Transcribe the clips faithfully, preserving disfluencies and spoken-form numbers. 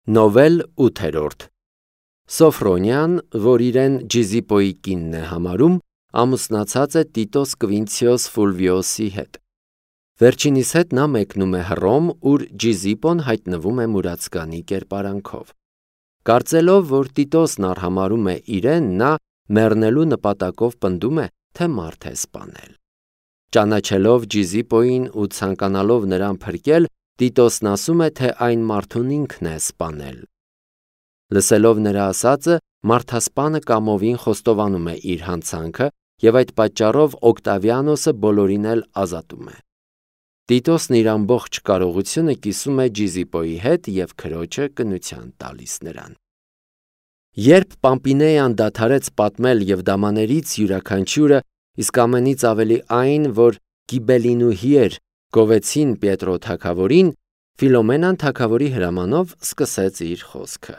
Նովել ութերորդ Սոֆրոնյան, որ իրեն Ջիզիպոյի կինն է համարում, ամուսնացած է Տիտոս Կվինցիոս Ֆուլվիոսի հետ։ Վերջինիս հետ նա մեկնում է Հռոմ, ուր Ջիզիպոն հայտնվում է մուրացկանի կերպարանքով։ Կարծելով, որ Տիտոսն արհամարհում է իրեն, նա մեռնելու նպատակով պնդում է, թե մարդ է սպանել։ Ճանաչելով Ջիզիպոյին ու ցանկանալով նրան փրկել, Տիտոսն ասում է, թե այն մարդուն ինքն է սպանել։ Լսելով նրա ասածը, մարդասպանը կամովին խոստովանում է իր հանցանքը և այդ պատճառով Օկտավիանոսը բոլորին էլ ազատում է։ Տիտոսն իր ամբողջ կարողությունը կիսում է Ջիզիպոյի հետ և քրոջը կնության տալիս նրան։ Երբ Պամպինեան դադարեց պատմել և դամաներից յուրաքանչյուրը, իսկ ամենից ավելի այն, որ Գիբելինուհի էր, գովեցին Պետրո թագավորին, Ֆիլոմենան թագավորի հրամանով սկսեց իր խոսքը։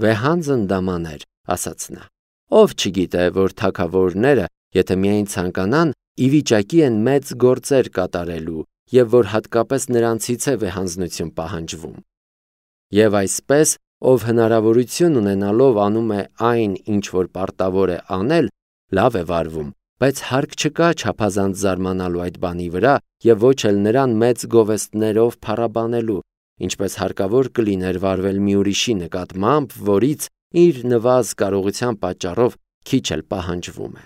Վեհանձն դամաներ, ասաց նա, ով չգիտե, որ թագավորները, եթե միայն ցանկանան, ի վիճակի են մեծ գործեր կատարելու և որ հատկապես նրանցից է վեհանձնություն պահանջվում։ Եվ այսպես, ով հնարավորություն ունենալով անում է այն, ինչ որ պարտավոր է անել, լավ է վարվում, բայց հարկ չկա չափազանց զարմանալու այդ բանի վրա և ոչ էլ նրան մեծ գովեստներով փառաբանելու, ինչպես հարկավոր կլիներ վարվել մի ուրիշի նկատմամբ, որից իր նվազ կարողության պատճառով քիչ էլ պահանջվում է։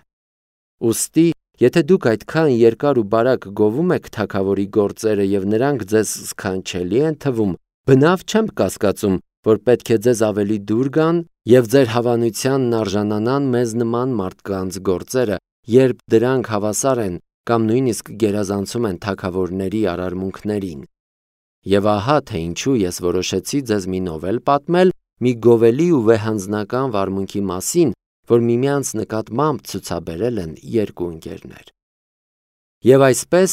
Ուստի, եթե դուք այդքան երկար ու բարակ գովում եք թագավորի գործերը և նրանք ձեզ սքանչելի են թվում, բնավ չեմ կասկածում, որ պետք է ձեզ ավելի դուր գան և ձեր հավանությանն արժանանան մեզ նման մարդկանց գործերը, երբ դրանք հավասար են կամ նույնիսկ գերազանցում են թագավորների արարմունքներին։ Եվ ահա թե ինչու ես որոշեցի ձեզ մի նովել պատմել մի գովելի ու վեհանձնական վարմունքի մասին, որ միմյանց նկատմամբ ցուցաբերել են երկու ընկերներ։ Եվ այսպես,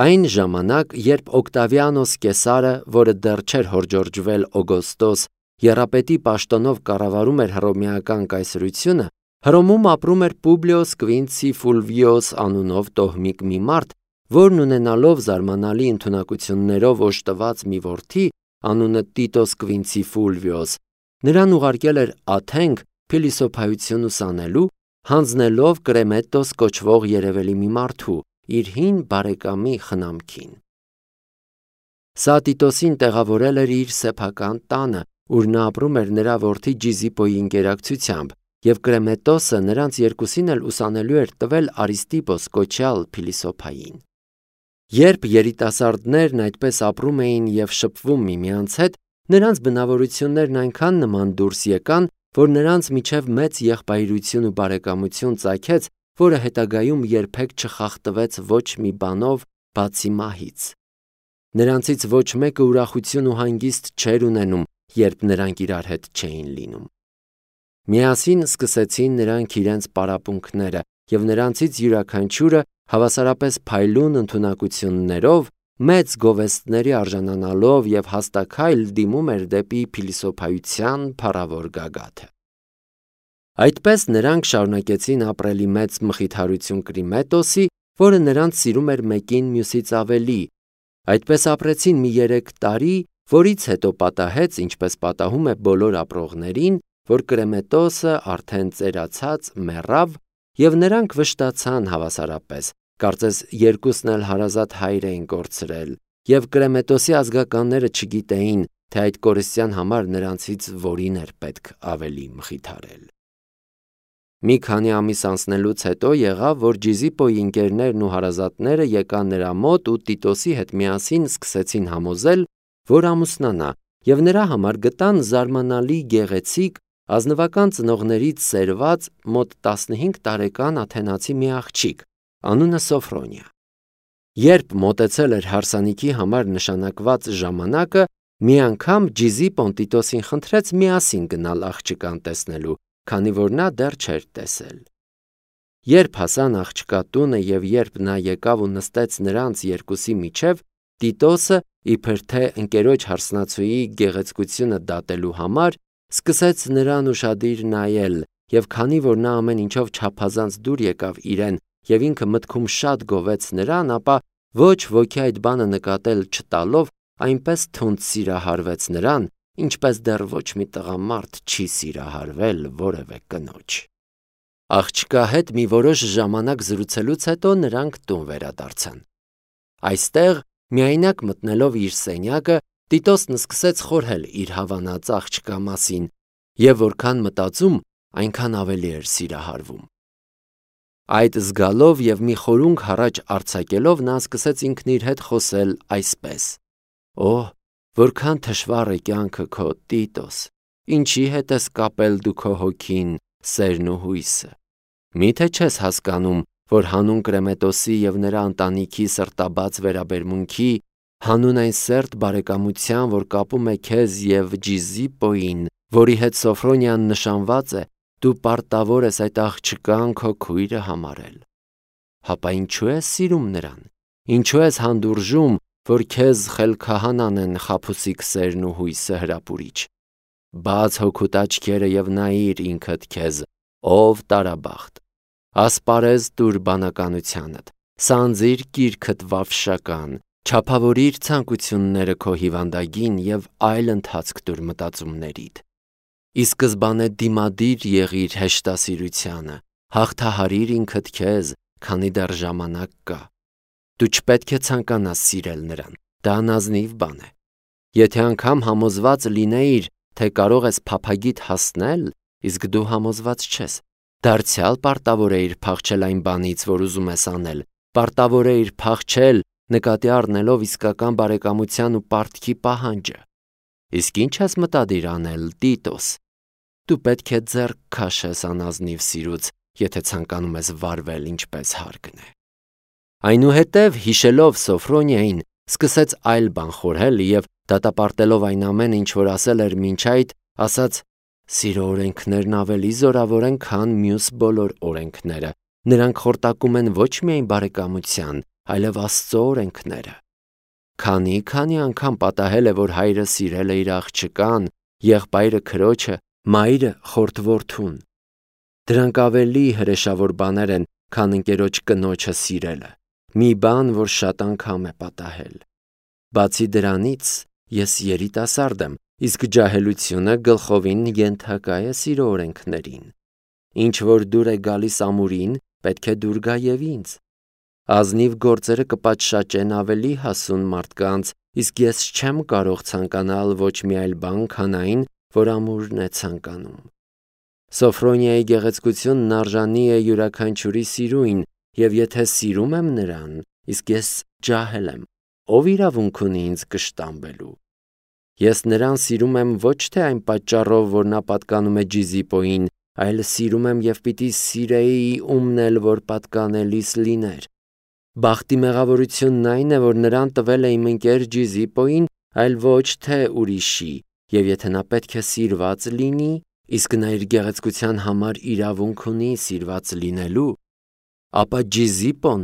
այն ժամանակ, երբ Օկտավիանոս Կեսարը, որը դեռ չէր հորժորջվել Օգոստոս, եռապետի պաշտոնով կառավարում էր հռոմեական կայսրությունը, Հռոմում ապրում էր Պուբլիոս Կվինցի Ֆուլվիոս անունով տոհմիկ մի մարդ, որն ունենալով զարմանալի ընդունակություններով օժտված մի որդի, անունը Տիտոս Կվինցի Ֆուլվիոս, նրան ուղարկել էր Աթենք փիլիսոփայություն ուսանելու, հանձնելով Կրեմետոս կոչվող երևելի մի մարդու, իր հին բարեկամի խնամքին։ Սա Տիտոսին տեղավորել էր իր սեփական տանը, ուր նա ապրում էր նրա որդի Ջիզիպոյի ընկերակցությամբ, և Կրեմետոսը նրանց երկուսին էլ ուսանելու էր տվել Արիստիպոս կոչյալ փիլիսոփային։ Երբ երիտասարդներն այդպես ապրում էին և շփվում միմյանց հետ, նրանց բնավորություններն այնքան նման դուրս եկան, որ նրանց միջև մեծ եղբայրություն ու բարեկամություն ծագեց, որը հետագայում երբեք չխախտվեց ոչ մի բանով, բացի մահից։ Նրանցից ոչ մեկը ուրախություն ու հանգիստ չէր ունենում, երբ նրանք իրար հետ չէին լինում։ Միասին սկսեցին նրանք իրենց պարապմունքները, և նրանցից յուրաքանչյուրը հավասարապես փայլուն ընդունակություններով, մեծ գովեստների արժանանալով և հաստաքայլ դիմում էր դեպի փիլիսոփայության փառավոր գագաթը։ Այդպես նրանք շարունակեցին ապրել ի մեծ մխիթարություն Կրիմետոսի, որը նրանց սիրում էր մեկին մյուսից ավելի։ Այդպես ապրեցին մի երեք տարի, որից հետո պատահեց, ինչպես պատահում է բոլոր ապրողներին, որ Կրեմետոսը արդեն ծերացած մեռավ, և նրանք վշտացան հավասարապես, կարծես երկուսն էլ հարազատ հայր էին կորցրել, և Կրեմետոսի ազգականները չգիտեին, թե այդ կորստյան համար նրանցից որին էր պետք ավելի մխիթարել։ Մի քանի ամիս անցնելուց հետո եղավ, որ Ջիզիպոյի ընկերներն ու հարազատները եկան նրա մոտ ու Տիտոսի հետ միասին սկսեցին համոզել, որ ամուսնանա, և նրա համար գտան զարմանալի գեղեցիկ, ազնվական ծնողներից սերված մոտ տասնհինգ տարեկան աթենացի մի աղջիկ, անունը Սոֆրոնիա։ Երբ մոտեցել էր հարսանիքի համար նշանակված ժամանակը, մի անգամ Ջիզիպոն Տիտոսին խնդրեց միասին գնալ աղջկան տեսնելու, քանի որ նա դեռ չէր տեսել։ Երբ հասան աղջկա տունը և երբ նա եկավ ու նստեց նրանց երկուսի միջև, Տիտոսը, իբր թե ընկերոջ հարսնացուի գեղեցկությունը դատելու համար, սկսեց նրան ուշադիր նայել, և քանի որ նա ամեն ինչով չափազանց դուր եկավ իրեն և ինքը մտքում շատ գովեց նրան, ապա ոչ ոքի այդ բանը նկատել չտալով, այնպես թունդ սիրահարվեց նրան, ինչպես դեռ ոչ մի տղամարդ չի սիրահարվել որևէ կնոջ։ Աղջկա հետ մի որոշ ժամանակ զրուցելուց հետո նրանք տուն վերադարձան։ Այստեղ, միայնակ մտնելով իր սենյակը, Տիտոսն սկսեց խորհել իր հավանած աղջկա մասին, և որքան մտածում, այնքան ավելի էր սիրահարվում։ Այդ զգալով և մի խորհուրդ առաջ արձակելով, նա սկսեց ինքն իր հետ խոսել այսպես. «Օհ, որքան թշվառ է կյանքը քո, Տիտոս, ինչի հետ ես կապել դու քո հոգին, սերն ու հույսը։ Մի՞թե չես հասկանում, որ հանուն Կրեմետոսի և նրա ընտանիքի սրտաբաց վերաբերմունքի, հանուն այն սերտ բարեկամության, որ կապում է քեզ և Ջիզիպպոյին, որի հետ Սոֆրոնիան նշանված է, դու պարտավոր ես այդ աղջկան քո քույրը համարել։ Հապա ինչու ես սիրում նրան, ինչու ես հանդուրժում, որ քեզ խելքահան անեն խաբուսիկ սերն ու հույսը հրապուրիչ։ Բաց հոգուտ աչքերը և նայիր ինքդ քեզ, ով տարաբախտ, ասպարեզ տուր բանականությանդ, սանձիր կիրքդ վավշական, չափավորիր ցանկությունները քո հիվանդագին և այլ ընթացք տուր մտածումներիդ։ Ի սկզբանե դիմադիր եղիր հեշտասիրությանը, հաղթահարիր ինքդ քեզ, քանի դեռ ժամանակ կա։ Դու չպետք է ցանկանաս սիրել նրան, դա անազնիվ բան է։ Եթե անգամ համոզված լինեիր, թե կարող ես փափագիդ հասնել, իսկ դու համոզված չես, դարձյալ պարտավոր էիր փախչել այն բանից, որ ուզում ես անել, պարտավոր էիր փախչել, նկատի առնելով իսկական բարեկամության ու պարտքի պահանջը։ Իսկ ինչ ես մտադիր անել, Տիտոս։ Դու պետք է ձեռք քաշես անազնիվ սիրուց, եթե ցանկանում ես վարվել ինչպես հարկն է։ Այնուհետև, հիշելով Սոֆրոնիային, սկսեց այլ բան խորհել և դատապարտելով այն ամենը, ինչ որ ասել էր մինչ այդ, ասաց. «Սիրո օրենքներն ավելի զորավոր են, քան մյուս բոլոր օրենքները, նրանք խորտակում են ոչ միայն բարեկամության, այլև Աստծո օրենքները։ Քանի-քանի անգամ պատահել է, որ հայրը սիրել է իր աղջկան, եղբայրը քրոջը, մայրը խորթ-որդուն։ Դրանք ավելի հրեշավոր բաներ են, քան ընկերոջ կնոջը սիրելը, մի բան, որ շատ անգամ է պատահել։ Բացի դրանից, ես երիտասարդ եմ, իսկ ջահելությունը գլխովին ենթակա է սիրո օրենքներին։ Ինչ որ դուր է գալիս ամուրին, պետք է դուր գա և ինձ։ Ազնիվ գործերը կպատշաճեն ավելի հասուն մարդկանց, իսկ ես չեմ կարող ցանկանալ ոչ մի այլ բան, քան այն, որ ամուրն է ցանկանում։ Սոֆրոնիայի գեղեցկությունն արժանի է յուրաքանչյուրի սիրույն, և եթե սիրում եմ նրան, իսկ ես ջահել եմ, ով իրավունք ունի ինձ կշտամբելու։ Ես նրան սիրում եմ ոչ թե այն պատճառով, որ նա պատկանում է Ջիզիպպոյին, այլ սիրում եմ և պիտի սիրեի ումն էլ, որ պատկանելիս լիներ։ Բախտի մեղավորությունն այն է, որ նրան տվել է իմ ընկեր Ջիզիպպոյին, այլ ոչ թե ուրիշի, և եթե նա պետք է սիրված լինի, իսկ նա իր գեղեցկության համար իրավունք ունի սիրված լինելու, ապա Ջիզիպպոն,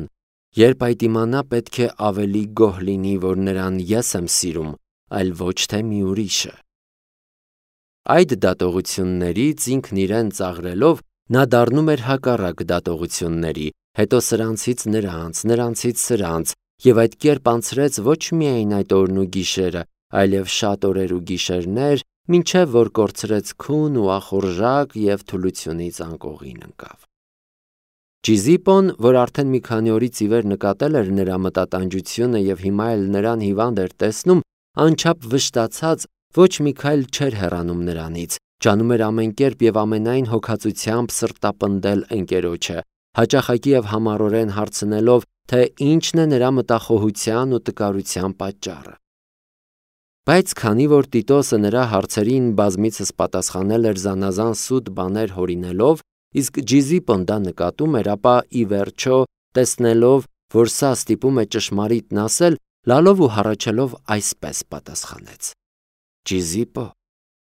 երբ այդ իմանա, պետք է ավելի գոհ լինի, որ նրան ես եմ սիրում, այլ ոչ թե մի ուրիշը։ Այդ դատողություններից ինքն իրեն ծաղրելով, նա դառնում էր հակառակ դատողությունների, հետո սրանցից նրանց, նրանցից սրանց, և այդ կերպ անցրեց ոչ միայն այդ օրն ու գիշերը, այլև շատ օրեր ու գիշերներ, մինչև որ կորցրեց քուն ու ախորժակ և թուլությունից անկողին ընկավ։ Ջիզիպպոն, որ արդեն մի քանի օրից ի վեր նկատել էր նրա մտատանջությունը և հիմա էլ նրան հիվանդ էր տեսնում, անչափ վշտացած, ոչ մի քայլ չէր հեռանում նրանից, ջանում էր ամեն կերպ և ամենայն հոգածությամբ սրտապնդել ընկերոջը, հաճախակի և համառորեն հարցնելով, թե ինչն է նրա մտախոհության ու տկարության պատճառը։ Բայց քանի որ Տիտոսը նրա հարցերին բազմիցս պատասխանել էր զանազան սուտ բաներ հորինելով, իսկ Ջիզիպպոն դա նկատում էր, ապա ի վերջո, տեսնելով, որ սա ստիպում է ճշմարիտն ասել, լալով ու հառաչելով այսպես պատասխանեց. «Ջիզիպպո,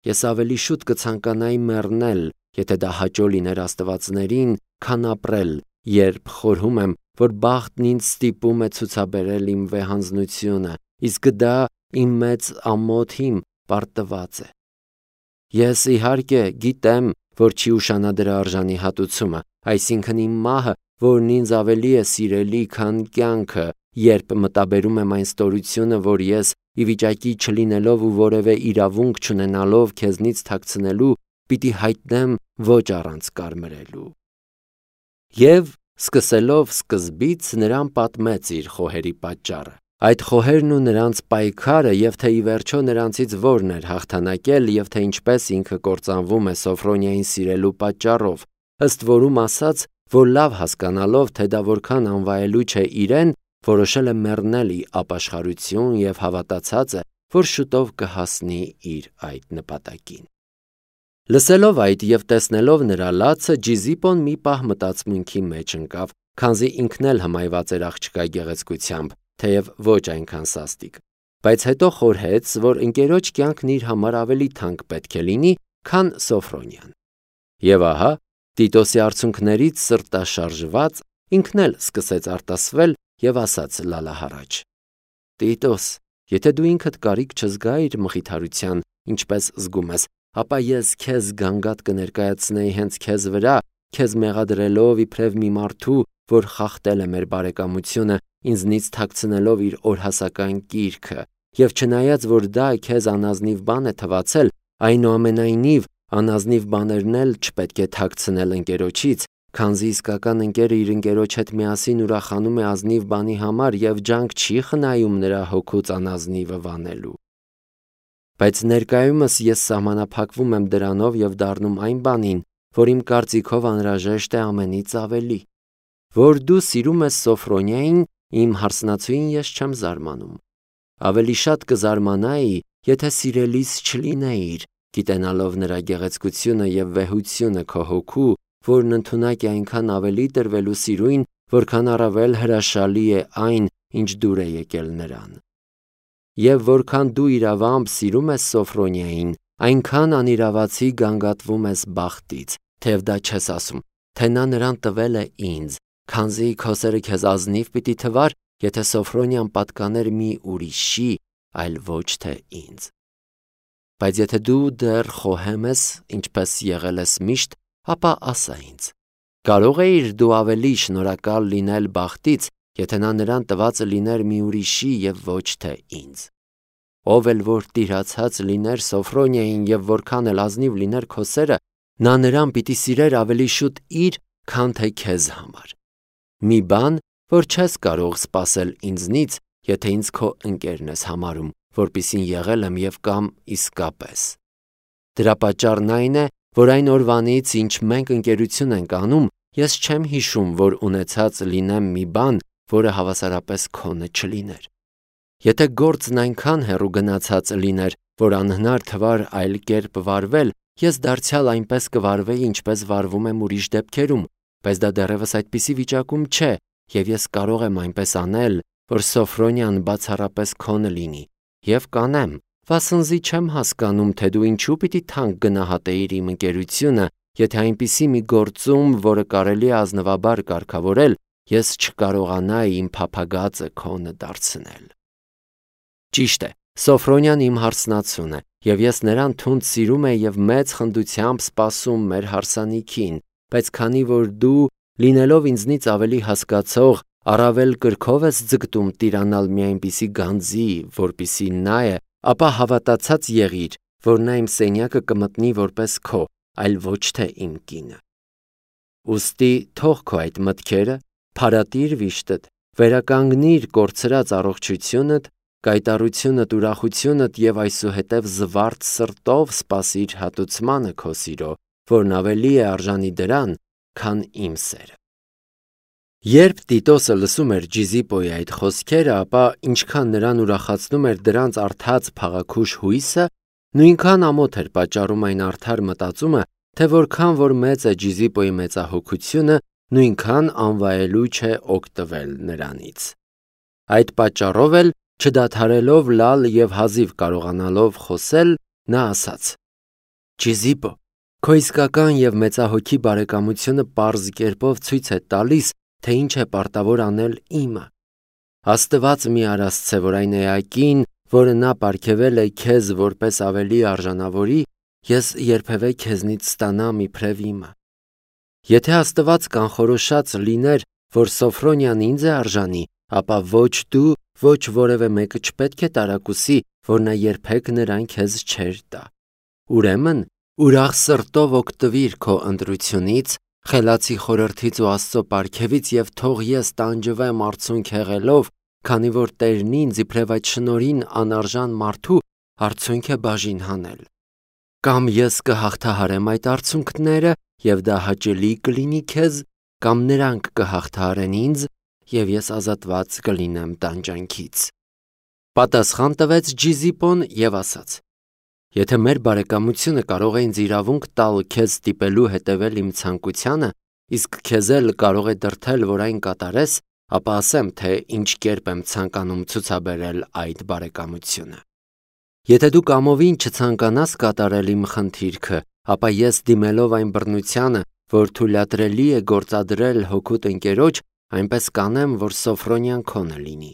ես ավելի շուտ կցանկանայի մեռնել, եթե դա հաճո լիներ աստվածներին, քան ապրել, երբ խորհում եմ, որ բախտն ինձ ստիպում է ցուցաբերել իմ վեհանձնությունը, իսկ դա իմ մեծ ամոթին պարտված է։ Ես, իհարկե, գիտեմ, որ չի ուշանա դրա արժանի հատուցումը, այսինքն իմ մահը, որն ինձ ավելի է սիրելի, քան կյանքը, երբ մտաբերում եմ այն ստորությունը, որ ես ի վիճակի չլինելով ու որևէ իրավունք չունենալով քեզնից թաքցնելու, պիտի հայտնեմ ոչ առանց կարմրելու։ Եվ սկսելով սկզբից նրան պատմեց իր խոհերի պատճառը, այդ խոհերն ու նրանց պայքարը, եւ թե ի վերջո նրանցից որն էր հաղթանակել, եւ թե ինչպես ինքը կործանվում է Սոֆրոնիային սիրելու պատճառով, ըստ որում ասաց, որ լավ հասկանալով, թե դա որքան անվայելու չէ իրեն, որոշել է մեռնել ի ապաշխարություն եւ հավատացած է, որ շուտով կհասնի իր այդ նպատակին։ Լսելով այդ եւ տեսնելով նրա լացը, Ջիզիպոն մի պահ մտածմունքի մեջ ընկավ, քանզի ինքն էլ հմայված էր աղջկա գեղեցկությամբ, թեև ոչ այնքան սաստիկ, բայց հետո խորհեց, որ ընկերոջ կյանքն իր համար ավելի թանկ պետք է լինի, քան Սոֆրոնիան։ Եվ ահա, Տիտոսի արցունքներից սրտաշարժված, ինքն էլ սկսեց արտասվել եւ ասաց լալահառաջ. Տիտոս, եթե դու ինքդ կարիք չզգայիր մխիթարության, ինչպես զգում ես, ապա ես քեզ գանգատ կներկայացնեի հենց քեզ վրա, քեզ մեղադրելով իբրև մի մարդու, որ խախտել է մեր բարեկամությունը, ինձնից թաքցնելով իր օրհասական կիրքը, եւ չնայած որ դա քեզ անազնիվ բան է թվացել, այնուամենայնիվ անազնիվ բաներն էլ չպետք է թաքցնել ընկերոջից, քանզի իսկական ընկերը իր ընկերոջ հետ միասին ուրախանում է ազնիվ բանի համար եւ ջանք չի խնայում նրա հոգուց անազնիվը վանելու։ Բայց ներկայումս ես սահմանափակվում եմ դրանով եւ դառնում այն բանին, որ իմ կարծիքով անհրաժեշտ է ամենից ավելի։ Որ դու սիրում ես Սոֆրոնիային, իմ հարսնացուին ես չեմ զարմանում։ Ավելի շատ կզարմանայի, եթե սիրելիս չլինեիր, գիտենալով նրա գեղեցկությունը եւ վեհությունը քո հոգու, որն ընդունակ է այնքան ավելի տրվելու սիրույն, որքան առավել հրաշալի է այն, ինչ դուր է եկել նրան։ Եվ որքան դու իրավամբ սիրում ես Սոֆրոնիային, այնքան անիրավացի գանգատվում ես բախտից, թեև դա չես ասում, թե նա նրան տվել է ինձ, քանզի քո սերը քեզ ազնիվ պիտի թվար, եթե Սոֆրոնիան պատկաներ մի ուրիշի, այլ ոչ թե ինձ։ Բայց եթե դու դեռ խոհեմ ես, ինչպես եղել ես միշտ, ապա ասա ինձ. կարող էիր դու ավելի շնորհակալ լինել բախտից, եթե նա նրան տվածը լիներ մի ուրիշի եւ ոչ թե ինձ։ Ով էլ որ տիրացած լիներ Սոֆրոնիային եւ որքան էլ ազնիվ լիներ քո սերը, նա նրան պիտի սիրեր ավելի շուտ իր, քան թե քեզ համար։ Մի բան, որ չես կարող սпасել ինձնից, եթե ինձ քո ընկերն ես համարում, որպիսին եղել եմ եւ կամ իսկապես։ Դրա պատճառն այն է, որ այն օրվանից, ինչ մենք ընկերություն ենք անում, ես չեմ հիշում, որ ունեցած լինեմ մի բան, որը հավասարապես քոնը չլիներ։ Եթե գործն այնքան հեռու գնացած լիներ, որ անհնար թվար այլ կերպ վարվել, ես դարձյալ այնպես կվարվեի, ինչպես վարվում եմ ուրիշ դեպքերում, բայց դա դեռևս այդպիսի վիճակում չէ, եւ ես կարող եմ այնպես անել, որ Սոֆրոնիան բացառապես քոնը լինի, եւ կանեմ, վասնզի չեմ հասկանում, թե դու ինչու պիտի թանկ գնահատեիր իմ ընկերությունը, եթե այնպիսի մի գործում, որը կարելի է ազնվաբար կարգավորել, ես չկարողանայի իմ փափագածը քոնը դարձնել։ Ճիշտ է, Սոֆրոնիան իմ հարսնացուն է, եւ ես նրան թունդ սիրում եմ եւ մեծ խնդությամբ սպասում մեր հարսանիքին, բայց քանի որ դու, լինելով ինձնից ավելի հասկացող, առավել կրքով ես ձգտում տիրանալ մի այնպիսի գանձի, որպիսի նա է, ապա հավատացած եղիր, որ նա իմ սենյակը կմտնի որպես քո, այլ ոչ թե իմ կինը։ Ուստի թող քո այդ մտքերը, փարատիր վիշտդ, վերականգնիր կորցրած առողջությունդ, կայտարությունդ, ուրախությունդ եւ այսուհետև զվարթ սրտով սпасիր հատուցմանը քո սիրո, որն ավելի է արժանի դրան, քան իմ սերը։ Երբ Տիտոսը լսում էր Ջիզիպոյի այդ խոսքերը, ապա ինչքան նրան ուրախացնում էր դրանց արթած փաղաքուշ հույսը, նույնքան ամոթ էր պատճառում այն արդար մտածումը, թե որքան որ մեծ է Ջիզիպոյի մեծահոգությունը, նույնքան անվայելու չէ օգտվել նրանից։ Այդ պատճառով էլ, չդադարելով լալ եւ հազիվ կարողանալով խոսել, նա ասաց. Ջիզիպո, քո իսկական եւ մեծահոգի բարեկամությունը պարզ կերպով ցույց է տալիս, թե ինչ է պարտավոր անել իմը։ Աստված մի արասցե, որ այն էակին, որը նա պարգևել է քեզ որպես ավելի արժանավորի, ես երբևէ քեզնից ստանամ իբրև իմը։ Եթե Աստված կանխորոշած լիներ, որ Սոֆրոնիան ինձ է արժանի, ապա ոչ դու, ոչ որևէ մեկը չպետք է տարակուսի, որ նա երբեք նրան քեզ չեր տա։ Ուրեմն, ուրախ սրտով օգտվիր քո ընտրությունից, խելացի խորհրդից ու Աստծո պարգևից և թող ես տանջվեմ արցունք հեղելով, քանի որ Տերն ինձ իբրև այդ շնորհին անարժան մարդու արցունք է բաժին հանել։ Կամ ես կհաղթահարեմ այդ արցունքները, և դա հաճելի կլինի քեզ, կամ նրանք կհաղթահարեն ինձ, և ես ազատված կլինեմ տանջանքից։ Պատասխան տվեց Ջիզիպոն և ասաց. Եթե մեր բարեկամությունը կարող է ինձ իրավունք տալ քեզ ստիպելու հետևել իմ ցանկությանը, իսկ քեզ էլ կարող է դրդել, որ այն կատարես, ապա ասեմ, թե ինչ կերպ եմ ցանկանում ցուցաբերել այդ բարեկամությունը։ Եթե դու կամովին չցանկանաս կատարել իմ խնդիրքը, ապա ես դիմելով այն բռնությանը, որ թույլատրելի է գործադրել հօգուտ ընկերոջ, այնպես կանեմ, որ Սոֆրոնյան քոնը լինի։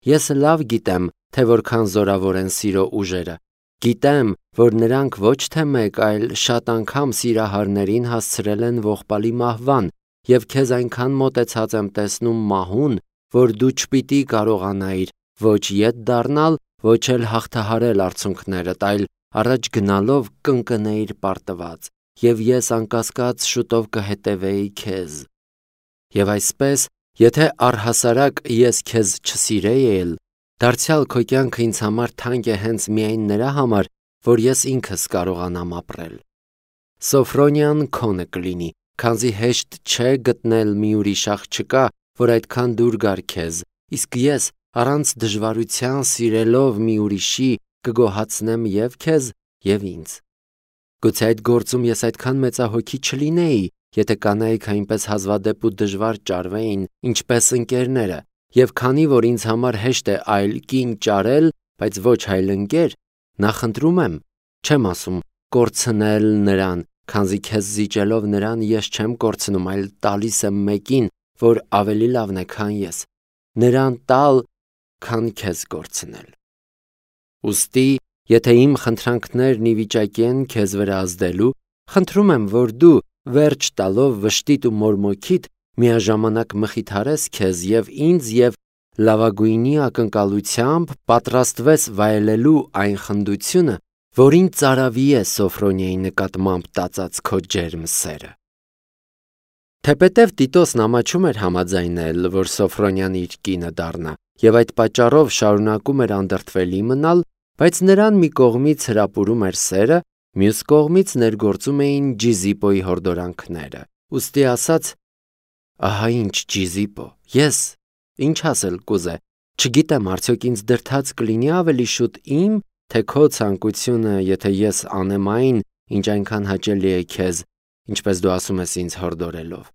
Ես լավ գիտեմ, թե որքան զորավոր են սիրո ուժերը։ Գիտեմ, որ նրանք ոչ թե մեկ, այլ շատ անգամ սիրահարներին հասցրել են ողբալի մահվան, և քեզ այնքան մոտեցած եմ տեսնում մահուն, որ դու չպիտի կարողանայիր ոչ ետ դառնալ, ոչ էլ հաղթահարել արցունքներդ, այլ առաջ գնալով կընկնեիր պարտված, և ես անկասկած շուտով կհետևեի քեզ։ Եվ այսպես, եթե առհասարակ ես քեզ չսիրեի էլ, դարձյալ քո կյանքը ինձ համար թանկ է հենց միայն նրա համար, որ ես ինքս կարողանամ ապրել։ Սոֆրոնյան քոնը կլինի, քանզի հեշտ չէ գտնել մի ուրիշ աղջկա, որ այդքան դուր գար քեզ, իսկ ես առանց դժվարության սիրելով մի ուրիշի կգոհացնեմ և քեզ, և ինձ։ Գուցե այդ գործում ես այդքան մեծահոգի չլինեի, եթե կանայք այնպես հազվադեպ ու դժվար ճարվեին, ինչպես ընկերները, և քանի որ ինձ համար հեշտ է այլ կին ճարել, բայց ոչ այլ ընկեր, նախընտրում եմ, չեմ ասում կորցնել նրան, քանզի քեզ զիջելով նրան ես չեմ կորցնում, այլ տալիս եմ մեկին, որ ավելի լավն է, քան ես, նրան տալ, քան քեզ կորցնել։ Ուստի, եթե իմ խնդրանքներն ի վիճակի են քեզ վրա ազդելու, խնդրում եմ, որ դու վերջ տալով վշտիդ ու մորմոքիդ միաժամանակ մխիթարես քեզ և ինձ և լավագույնի ակնկալությամբ պատրաստվես վայելելու այն խնդությունը, որին ծարավի է Սոֆրոնիայի նկատմամբ տածած քո ջերմ սերը։ Թեպետև Տիտոսն ամաչում էր համաձայնել, որ Սոֆրոնյան իր կինը դառնա, և այդ պատճառով շարունակում էր անդրդվելի մնալ, բայց նրան մի կողմից հրապուրում էր սերը, մյուս կողմից ներգործում էին Ջիզիպոյի հորդորանքները։ Ուստի ասաց. ահա ինչ Ջիզիպո, ես, ինչ ասել կուզե, չգիտեմ արդյոք ինձ դրդած կլինի ավելի շուտ իմ, թե քո ցանկությունը, եթե ես անեմ այն, ինչ այնքան հաճելի է քեզ, ինչպես դու ասում ես ինձ հորդորելով։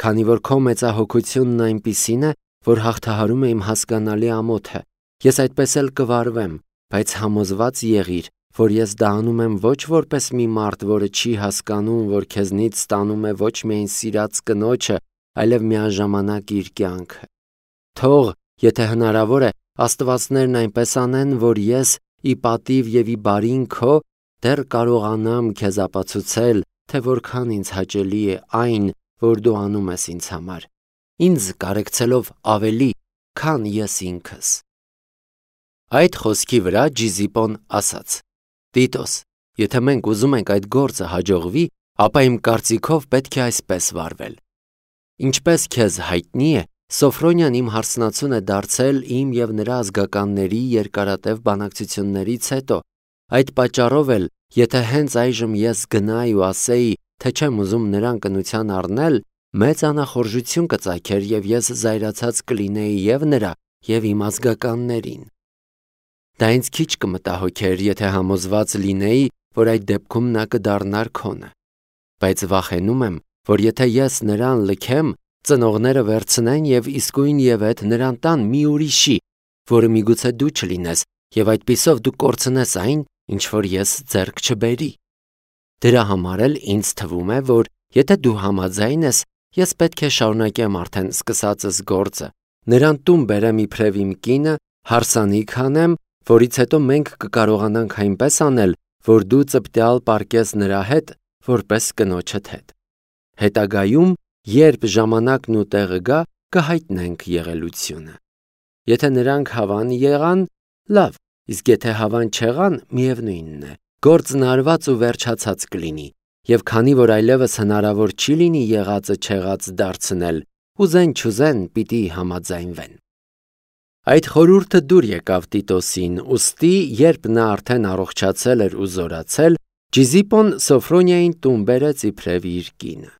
Քանի որ քո մեծահոգությունն այնպիսին է, որ հաղթահարում է իմ հասկանալի ամոթը, ես այդպես էլ կվարվեմ, բայց համոզված եղիր, որ ես դա անում եմ ոչ որպես մի մարդ, որը չի հասկանում, որ քեզնից ստանում է ոչ միայն սիրած կնոջը, այլև միաժամանակ իր կյանքը։ Թող, եթե հնարավոր է, աստվածներն այնպես անեն, որ ես ի պատիվ և ի բարին քո դեռ կարողանամ քեզ ապացուցել, թե որքան ինձ հաճելի է այն, որ դու անում ես ինձ համար, ինձ կարեկցելով ավելի, քան ես ինքս։ Այդ խոսքի վրա Ջիզիպոն ասաց. Տիտոս, եթե մենք ուզում ենք այդ գործը հաջողվի, ապա իմ կարծիքով պետք է այսպես վարվել։ Ինչպես քեզ հայտնի է, Սոֆրոնյան իմ հարսնացուն է դարձել իմ և նրա ազգականների երկարատև բանակցություններից հետո։ Այդ պատճառով էլ, եթե հենց այժմ ես գնայի ու ասեի, թե չեմ ուզում նրան կնության առնել, մեծ անախորժություն կծագեր և ես զայրացած կլինեի և նրա, և իմ ազգականներին։ Դա ինձ քիչ կմտահոգեր, եթե համոզված լինեի, որ այդ դեպքում նա կդառնար քոնը։ Բայց վախենում եմ, որ եթե ես նրան լքեմ, ծնողները վերցնեն և իսկույնևեթ նրան տան մի ուրիշի, որը միգուցե դու չլինես, և այդպիսով դու կորցնես այն, ինչ որ ես ձեռք չբերի։ Դրա համար էլ ինձ թվում է, որ եթե դու համաձայն ես, ես պետք է շարունակեմ արդեն սկսածս գործը, նրան տուն բերեմ իբրև իմ կինը, հարսանիք անեմ, որից հետո մենք կկարողանանք այնպես անել, որ դու ծպտյալ պառկես նրա հետ, որպես կնոջդ հետ։ Հետագայում, երբ ժամանակն ու տեղը գա, կհայտնենք եղելությունը։ Եթե նրանք հավան եղան, լավ, իսկ եթե հավան չեղան, միևնույնն է, գործն արված ու վերջացած կլինի, եւ քանի որ այլևս հնարավոր չի լինի եղածը չեղած դարձնել, ուզեն չուզեն պիտի համաձայնվեն։ Այդ խորհուրդը դուր եկավ Տիտոսին, ուստի, երբ նա արդեն առողջացել էր ու զորացել, Ճիզիպոն Սոֆրոնիային տուն բերեց իբրև իր կինը։